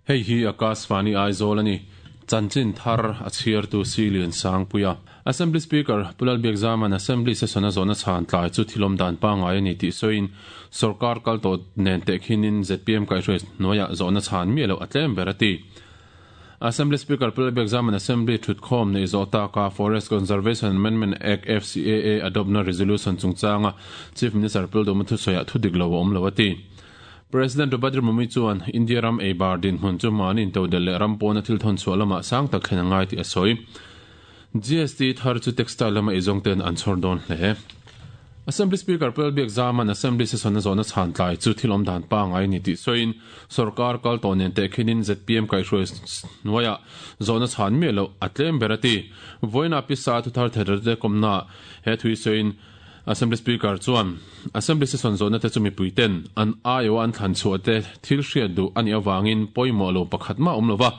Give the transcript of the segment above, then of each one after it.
Hei hi Akashvani Aizawl a ni. Chanchin thar a chhiartu Silian Sangpuia. Assembly Speaker Pu Lalbiakzama'n Assembly session a zawhna chhan tlai chu thilawm dan pangngai a ni tih sawiin sorkar kal tawh nen tehkhinin zpm kaihhruai hnuaiah zawhna chhan miah loh a tlem ber a ti. Assembly Speaker Pu Lalbiakzama'n Assembly thutkhawm neih zawh taka Forest Conservation Amendment Act, FCAA, adoptna resolution chungchanga Chief Minister Pu Lalduhma thusawiah thudik lo a awm lo a ti. President Draupadi Murmu chuan India ram ei bar dinhmun chu mahni intodelh leh ram pawna thil thawn chhuah lamah sang tak thlen a ngai tih a sawi. GST thar chu textile lama eizawng ten an chhawr dawn hle. Assembly Speaker Pu Lalbiakzama'n Assembly session a zawhna chhan tlai chu thil awm dan pangngai a ni tih sawiin sorkar kal tawh nen tehkhinin zpm kaihhruai hnuaiah zawhna chhan miah loh a tlem ber a ti. Vawiinah pisa thuthar thererte kawmnaah he thui sawiin Assembly Speaker chuan Assembly session zawhna te chu mipui ten an aiawh an thlan chhuah te thil hriat duh a nih avangin pawimawh lo pakhat mah a awm lo va.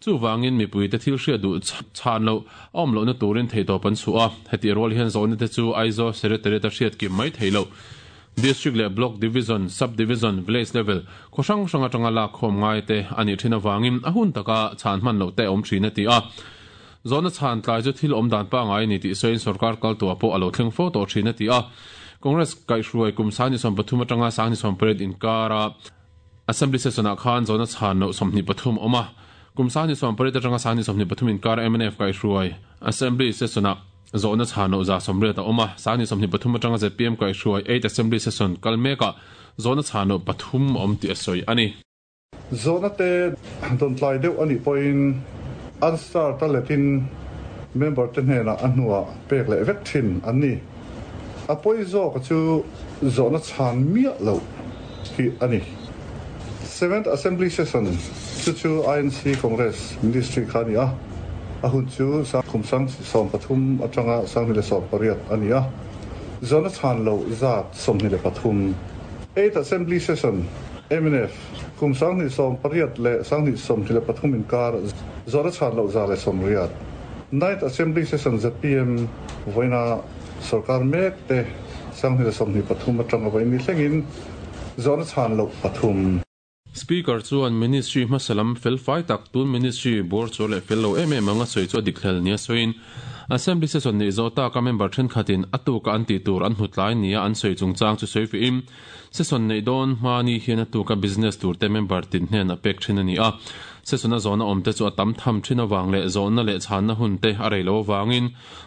Chuvangin mipui te thil hriat duh chhan loh a awm lohna turin theihtawp an chhuah a. Hetih rual hian zawhna te chu Aizawl Secretariat a hriat kim mai thei loh. District leh Block, Division, Sub Division, Village level khaw hrang hrang atanga lak khawm ngai te a nih thin avangin a hun taka chhan hman loh te a awm thin a ti a. Zawhna chhan tlai chu thil awm dan pangngai a ni tih sawiin sorkar kal tuah pawh a lo thleng fo tawh thin a ti a. Congress kaihhruai kum 2013 atanga 2018 inkara Assembly session-ah khan zawhna chhan loh 23 a awm a. Kum 2018 atanga 2023 inkara mnf kaihhruai Assembly session-ah zawhna chhan loh 180 a awm a. 2023 atanga zpm kaihhruai Eighth Assembly session kal mekah zawhna chhan loh pathum a awm tih a sawi a ni. Zawhna te dawn tlai deuh a nih pawhin an start a letin member te hnenah a hnuah pek leh vek thin an ni. A pawi zawka chu zawhna chhan miah loh hi a ni. Seventh Assembly Session chu chu INC Congress Ministry kha a ni a, a hun chu kum 2013 atanga 2018 a ni a, zawhna chhan loh zat 23. Eighth Assembly Session, mnf, Kum 2018 leh 2023 inkar zawhna chhan loh 180. Ninth Assembly Session zpm vawiina sorkar mek te 2023 atanga vawiin ni thlengin zawhna chhan loh pathum. Speaker chuan Ministry hmasa lam fel fai tak tun Ministry bawr chawr leh fel lo em em anga sawi chu a dik hlel nia sawiin Assembly Session neih zawh taka member thenkhatin a tuka an tih tur an hmu tlai nia an sawi chungchang chu sawi fihin Session neih dawn hma ni hian a tuka business tur te member tin hnen a pek thin a ni a. Session a zawhna awm te chu a tam tham thin avang leh zawhna leh chhanna hun te a rei lo avangin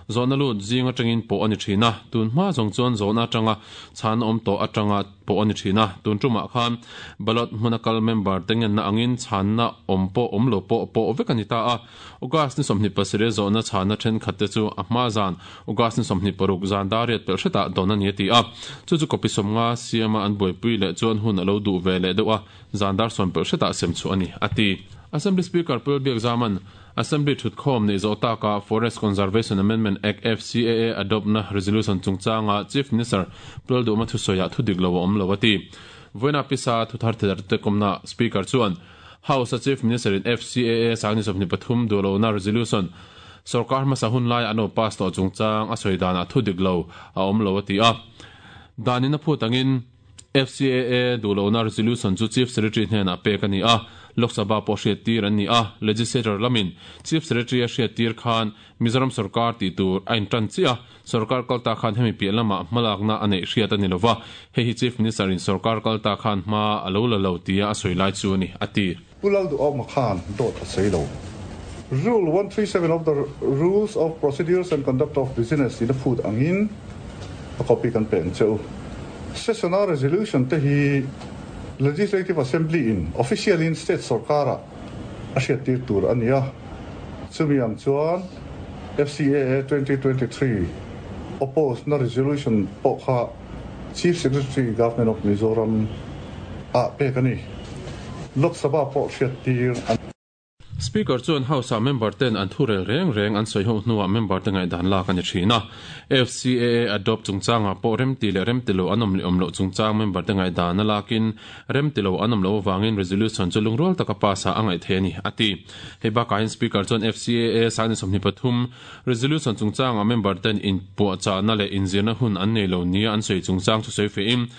zawhna lut zing atangin pawh a ni thin a. Tun hma zawng chuan zawhna atanga chhanna awm tawh atanga pawh a ni thin a. Tun tumah khan ballot hmuna kal member te ngenna angin chhanna awm pawh awm lo pawh pawh vek a ni ta a. August ni 27 zawhna chhana thenkhat te chu a hma zan August ni 26 zan dar riat pelh hretah dawn a ni a ti a. Chu chu copy 50 siama an buaipui leh chuan hun a lo duh ve leh deuh a, zan dar sawm pelh hretah sem chhuah a ni, a ti. Assembly Speaker Pu Lalbiakzama'n Assembly thutkhawm neih zawh taka Forest Conservation Amendment Act, FCAA, adopt-na resolution chungchanga Chief Minister Pu Lalduhma thusawiah thudik lo a awm lo a ti. Vawiina pisa thuthar thedarte kawmna Speaker chuan House a Chief Minister in FCAA 2023 duh lohna resolution sorkar hmasa hun laia an lo pass tawh chungchang a sawi danah thu dik lo a awm lo a ti a. Dan in a phut angin FCAA duh lohna resolution chu Chief Secretary hnenah pek a ni a, Lok Sabha pawh hriattir an ni a, Legislature lamin Chief Secretary a hriattir khan Mizoram sorkar tih tur a intan chiah a, sorkar kalta khan hemi piah lamah hmalakna a neih hriat a ni lova, hei hi Chief Minister in sorkar kalta khan hma a lo la lo tia a sawi lai chu a ni, a ti. Pu Lalduhawma khan dawt a sawi lo. Rule 137 of the Rules of Procedures and Conduct of Business in a phut angin a copy kan pe ang che u. Session-a resolution te hi Legislative Assembly in official in state sorkar-ah a hriattir tur a ni a, chumi ang chuan FCAA 2023 oppose na resolution pawh kha Chief Secretary Government of Mizoram ah pek a ni. Lok Sabha pawh hriattir a ni. Speaker chuan House-ah member ten an thurel reng reng an sawi ho hnuah member te ngaihdan lak a ni thin a. FCAA adopt chungchangah pawh remti leh remti lo an awm leh awm loh chungchang member te ngaihdan a lakin remti lo an awm loh avangin resolution chu lungrual taka pass ah a ngaih theih a ni, a ti. Hei bakah hian Speaker chuan FCAA 23 resolution chungchangah member ten inpuahchahna leh inzirna hun an nei lo nia an sawi chungchang chu sawi fehin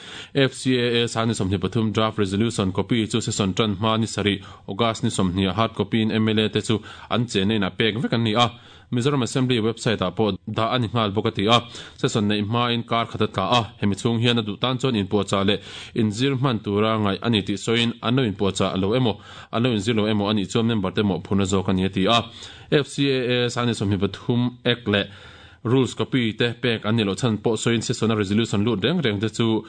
FCAA 23 draft resolution copy chu session tan hma ni sarih August ni 20 ah hard copy in mla te chu an chenna inah pek vek an ni a, Mizoram Assembly website ah pawh dah a ni nghal bawk a ti a. Session neih hmain kar khat a tla a, hemi chhung hian a duh tan chuan inpuahchah leh inzir hman tura ngaih a ni tih sawiin an lo inpuahchah lo emaw, an lo inzir lo emaw a nih chuan member te mawhphurhna zawk a ni a ti a. FCAA 23 Act leh Rules copy te pek an nih loh chhan pawh sawiin session a resolution lut reng reng te chu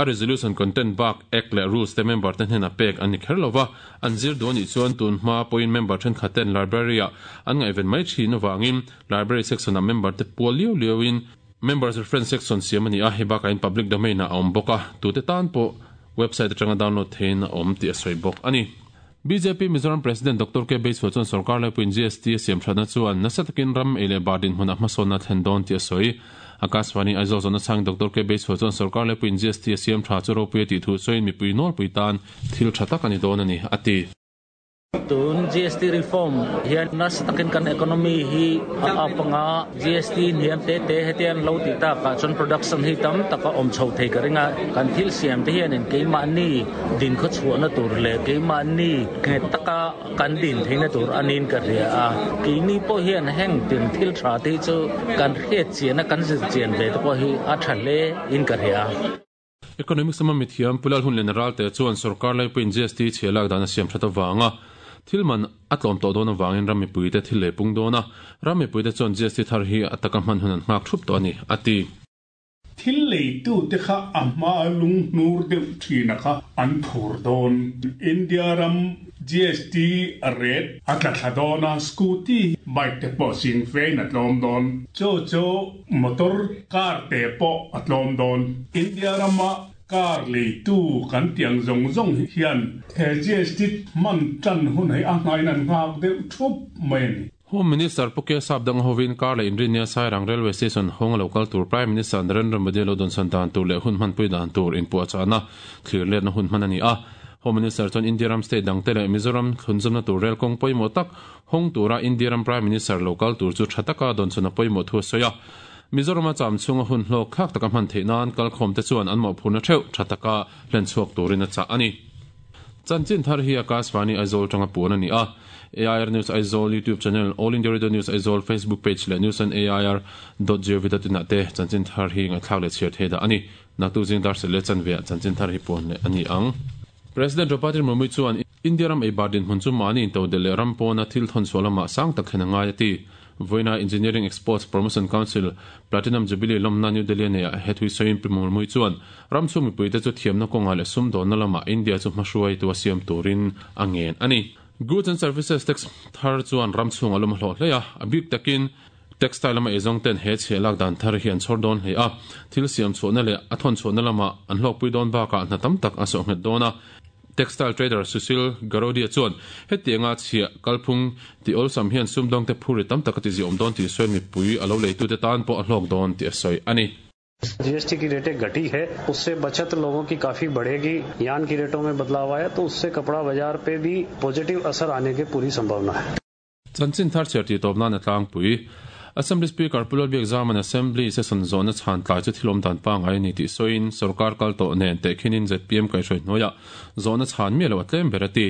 A resolution content bak Act leh Rules te member te hnenah pek an ni kher lo va, an zir duh a nih chuan tun hma pawhin member thenkhat ten library ah an ngaihven mai thin avangin library section ah member te pual liau liau in Members Reference section siam a ni a, hei bakah in public domain ah a awm bawk a, tute tan pawh website atanga download theihin a awm tih a sawi bawk a ni. Bjp Mizoram President Doctor K. Beisua chuan sorkar laipuiin GST a siam thatna chuan nasa takin ram ei leh bar dinhmunah hmasawnna a thlen dawn tih a sawi. Akashvani Aizawl zawhna chhang Doctor K. Beisua chuan sorkar laipuiin GST a siam tha chu ropui a tih thu sawiin mipui nawlpui tan thil tha tak a ni dawn a ni, a ti. Tun GST reform hian nasa takin kan economy hi a up anga, GST hniam te te hetiang lo tih takah chuan production hi tam tak a awm chho thei ka ring a, kan thil siam te hianin keimahni din khaw chhuahna tur leh keimahni nghet taka kan din theihna tur a niin ka hria a, keini pawh hian heng tin thil tha te hi chu kan hriat chian a kan zir chian ve te pawh hi a tha hle in ka hria. Economics lama mithiam Pu Lalhunliana Ralte chuan sorkar laipuiin GST chhia lak dan a siam that avanga thil man a tlawm tawh dawn avangin ram mipuite thil lei pung dawn a, ram mipuite chuan GST thar hi a taka hman hun an nghak thup tawh a ni, a ti. Thil leitute kha a hma lunghnur deuh thina kha an phur dawn. India ram GST rate a tla thla dawn a, scooty, bike te pawh sing fein a tlawm dawn. Chu chu Motor car te pawh a tlawm dawn. India rama car leitu kan tih ang zawng zawng hian he GST hman tan hun hi a hmain an nghak deuh thup mai a ni. Home Minister Pu K Sapdang hovin car leh inrinnia Sairang Railway Station hawng a lo kal tur Prime Minister Narendra Modi lo dawnsan dan tur leh hun hmanpui dan tur inpuahchahna thlir letna hun hman a ni a. Home Minister chuan India ram state dangte leh Mizoram thlunzawmna tur rel kawng pawimawh tak Hawng tura India ram Prime Minister lo kal tur chu tha taka dawnchhawn a pawimawh thu a sawi a. Mizorama cham chhunga hun hlawk thlak taka hman theih nan kalkhawmte chuan an mawhphurhna theuh tha taka hlen chhuak turin a chah a ni. Chanchin thar hi Akashvani Aizawl tanga puan a ni a. AIR News Aizawl YouTube channel, All India Radio News Aizawl Facebook page leh news on air dot gov dot in ah te chanchin thar hi ngaihthlak leh chhiar thei dah a ni. Naktuk zing dar sel leh chanve ah chanchin thar hi puan leh a ni ang. President Draupadi Murmu chuan India ram eibar dinhmun chu mahni intodelh leh ram pawna thil thawn chhuah lamah sang tak thlen a ngai a ti. Vawiina Engineering Exports Promotion Council Platinum Jubilee lawmna New Delhi a neihah he thui sawiin Pi Murmu chuan ram chhung mipuite chu thiamna kawngah leh sumdawnna lamah India chu hmahruaitu a siam turin a ngen a ni. Goods and Services Tax thar chuan ram chhungah lawm a hlawh hle a, a bik takin Textile lama eizawng ten he chhiah lak dan thar hi an chhawr dawn hle a, thil siam chhuahna leh a thawn chhuahna lamah an hlawkpui dawn bakah hna tam tak a sawh nghet dawn a. Textile trader Sushil Garodia chuan hetianga chhiah kalphung tih awlsam hian sumdawngte phurrit tam tak a tiziawm dawn tih sawiin mipui a lo leitute tan pawh a hlawk dawn tih a sawi a ni. GST की रेटें घटी है उससे बचत लोगों की काफी बढ़ेगी यान की रेटों में बदलाव आया तो उससे कपड़ा बाजार पे भी पॉजिटिव असर आने की पूरी संभावना है। Chanchin thar chhiar tih tawp nan a tlangpui. Assembly Speaker Pu Lalbiak Zaman Assembly session zawhna chhan tlai chu thil awm dan pangngai a ni tih sawiin sorkar kal tawh nen tehkhinin zpm kaihhruai hnuaiah zawhna chhan miah loh a tlem ber a ti.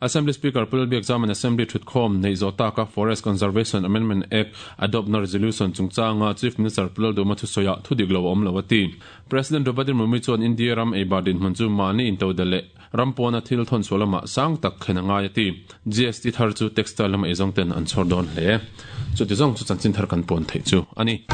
Assembly Speaker Pu Lalbiak Zaman Assembly thutkhawm neih zawh taka Forest Conservation Amendment Act adopt na resolution chungchanga Chief Minister Pu Lalduma thusawiah thudik lo a awm lo a ti. President Draupadi Murmu chuan India ram eibar dinhmun chu mahni intodelh leh Ram pawna thil thawn chhuah lamah sang tak thlen a ngai a ti. GST thar chu textile lama eizawng ten an chhawr dawn hle. Chuti zawng chu chanchin thar kan pawn theih chu a ni.